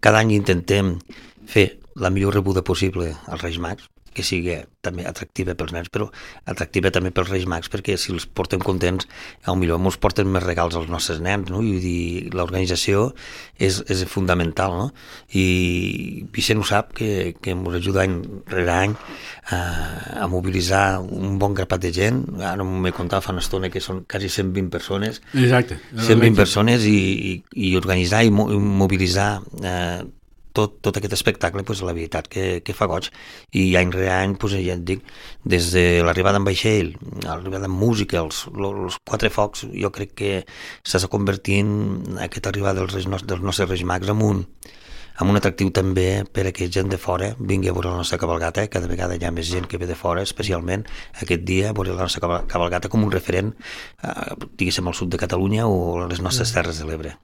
cada any intentem fer la millor rebuda possible als Reis Mags, que sigui també atractiva pels nens, però atractiva també pels Reis Mags, perquè si els portem contents, potser ens porten més regals als nostres nens, no? I dir, l'organització és fundamental, no? I Vicent ho sap, que ens ajuda any rere any a mobilitzar un bon grapat de gent. Ara m'he contat fa una estona que són quasi 120 persones. Exacte. 120 persones i organitzar i mobilitzar tot aquest espectacle, la veritat que fa goig. I any rere any, ja et dic, des de l'arribada en vaixell, l'arribada en música, els 4 focs, jo crec que s'està convertint aquesta arribada dels nostres Reis Mags en un atractiu també per a que gent de fora vingui a veure la nostra cabalgata. Cada vegada hi ha més gent que ve de fora, especialment aquest dia, a veure la nostra cabalgata com un referent, diguéssim, al sud de Catalunya o a les nostres Terres de l'Ebre.